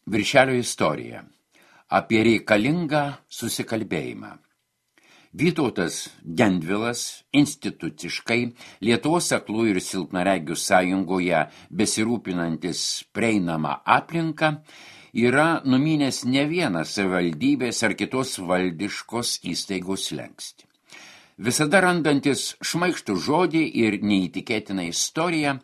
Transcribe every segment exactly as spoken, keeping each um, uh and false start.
Viršelio istorija. Apie reikalingą susikalbėjimą. Vytautas Gendvilas instituciškai Lietuvos aklųjų ir silpnaregių sąjungoje besirūpinantis prieinamą aplinką yra numynęs ne vieną savivaldybės ar kitos valdiškos įstaigos slenkstį. Visada randantis šmaikštų žodį ir neįtikėtiną istoriją,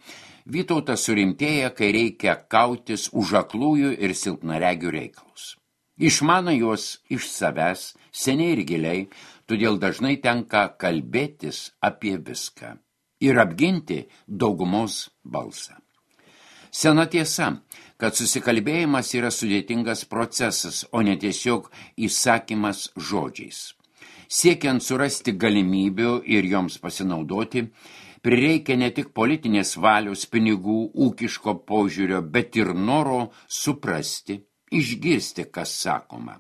Vytautas surimtėja, kai reikia kautis už aklųjų ir silpnaregių reikalus. Išmano juos iš savęs, seniai ir giliai, todėl dažnai tenka kalbėtis apie viską ir apginti daugumos balsą. Sena tiesa, kad susikalbėjimas yra sudėtingas procesas, o ne tiesiog įsakymas žodžiais. Siekiant surasti galimybių ir joms pasinaudoti, prireikia ne tik politinės valios, pinigų, ūkiško požiūrio, bet ir noro suprasti, išgirsti, kas sakoma.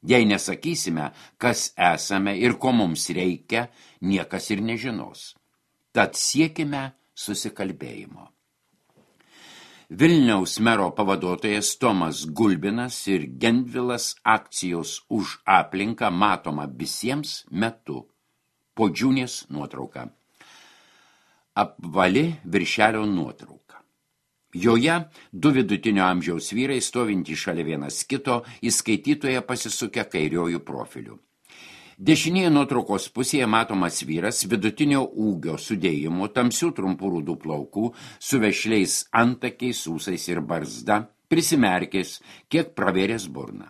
Jei nesakysime, kas esame ir ko mums reikia, niekas ir nežinos. Tad siekime susikalbėjimo. Vilniaus mero pavaduotojas Tomas Gulbinas ir Gendvilas akcijos už aplinką matoma visiems metu. Podžiūnės nuotrauka. Apvali viršelio nuotrauka. Joje du vidutinio amžiaus vyrai stovintys šalia vienas kito, į skaitytoją pasisukę kairiojų profilių. Dešinėje nuotraukos pusėje matomas vyras vidutinio ūgio sudėjimo, tamsių trumpų rudų plaukų, su vešliais antakiais, ūsais ir barzda, prisimerkęs, kiek pravėręs burną.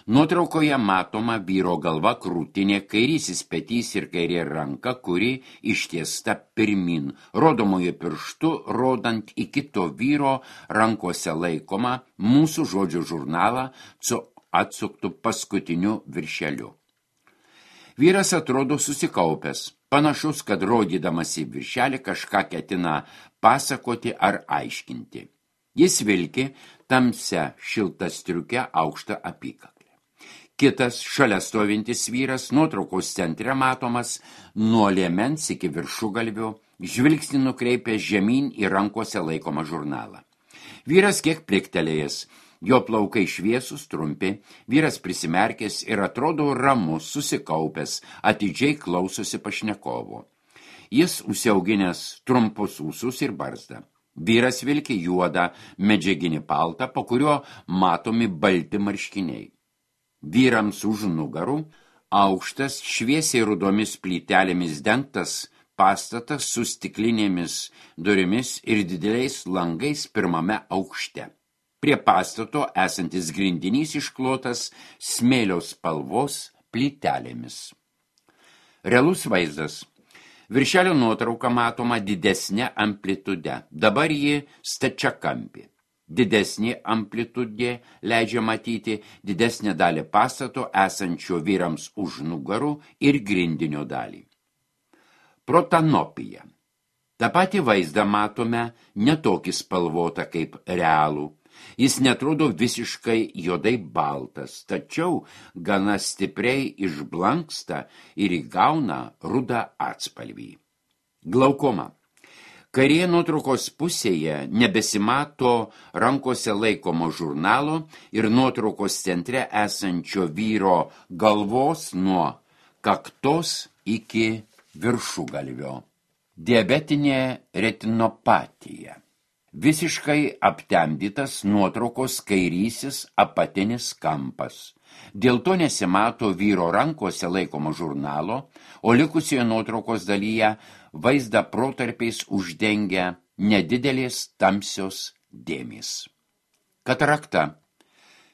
Nuotraukoje matoma vyro galva, krūtinė, kairysis petys ir kairė ranka, kuri ištiesta pirmin, rodomojo pirštu, rodant į kito vyro rankose laikomą mūsų žodžių žurnalą su atsuktu paskutiniu viršeliu. Vyras atrodo susikaupęs, panašus, kad rodydamas į viršelį kažką ketina pasakoti ar aiškinti. Jis vilki tamsia šilta striuke aukštą apykaklę. Kitas, šalia stovintis vyras, nuotraukos centre matomas nuo liemens iki viršugalvio, žvilgsnį nukreipęs žemyn į rankose laikomą žurnalą. Vyras kiek pliktelėjęs, jo plaukai šviesus, trumpi, vyras prisimerkęs ir atrodo ramus, susikaupęs, atidžiai klausosi pašnekovo. Jis užsiauginęs trumpus ūsus ir barzdą. Vyras vilki juodą medžiaginį paltą, po kurio matomi balti marškiniai. Vyrams už nugarų aukštas, šviesiai rudomis plytelėmis dengtas pastatas su stiklinėmis durimis ir dideliais langais pirmame aukšte. Prie pastato esantis grindinys išklotas smėlio spalvos plytelėmis. Realus vaizdas. Viršelio nuotrauka matoma didesnė amplitude, dabar ji stačiakampė. Didesnė amplitudė leidžia matyti didesnę dalį pastato esančio vyrams už nugarų ir grindinio dalį. Protanopija. Ta pati vaizdą matome netokį spalvotą kaip realų. Jis netrodo visiškai juodai baltas, tačiau gana stipriai išblanksta ir įgauna rudą atspalvį. Glaukoma. Kairėje nuotraukos pusėje nebesimato rankose laikomo žurnalo ir nuotraukos centre esančio vyro galvos nuo kaktos iki viršugalvio. Diabetinė retinopatija. Visiškai aptemdytas nuotraukos kairysis apatinis kampas. Dėl to nesimato vyro rankose laikomo žurnalo, o likusioje nuotraukos dalyje vaizdą protarpiais uždengia nedidelės tamsios dėmės. Katarakta.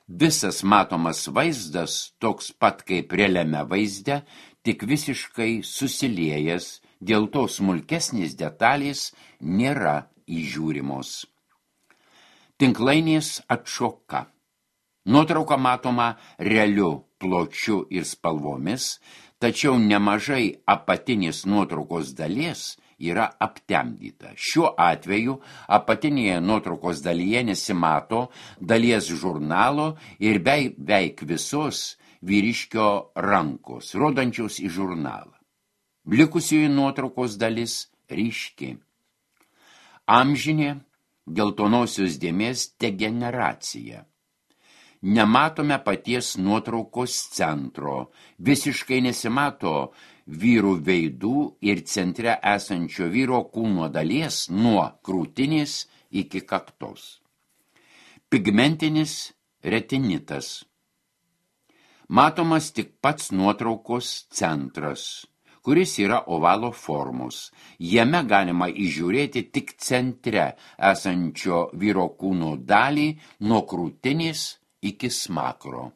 Visas matomas vaizdas toks pat kaip realiame vaizde, tik visiškai susiliejęs, dėl to smulkesnės detalės nėra įžiūrimos. Tinklainės atšoka. Nuotrauka matoma realiu pločiu ir spalvomis, tačiau nemažai apatinės nuotraukos dalies yra aptemdyta. Šiuo atveju apatinėje nuotraukos dalyje nesimato dalies žurnalo ir beveik visos vyriškio rankos, rodančios į žurnalą. Likusioji nuotraukos dalis ryški. Amžinė geltonosios dėmės degeneracija. nematome paties nuotraukos centro, visiškai nesimato vyrų veidų ir centre esančio vyro kūno dalies nuo krūtinės iki kaktos. Pigmentinis retinitas. Matomas tik pats nuotraukos centras, kuris yra ovalo formos. Jame galima įžiūrėti tik centre esančio vyro kūno dalį nuo krūtinės iki smakro.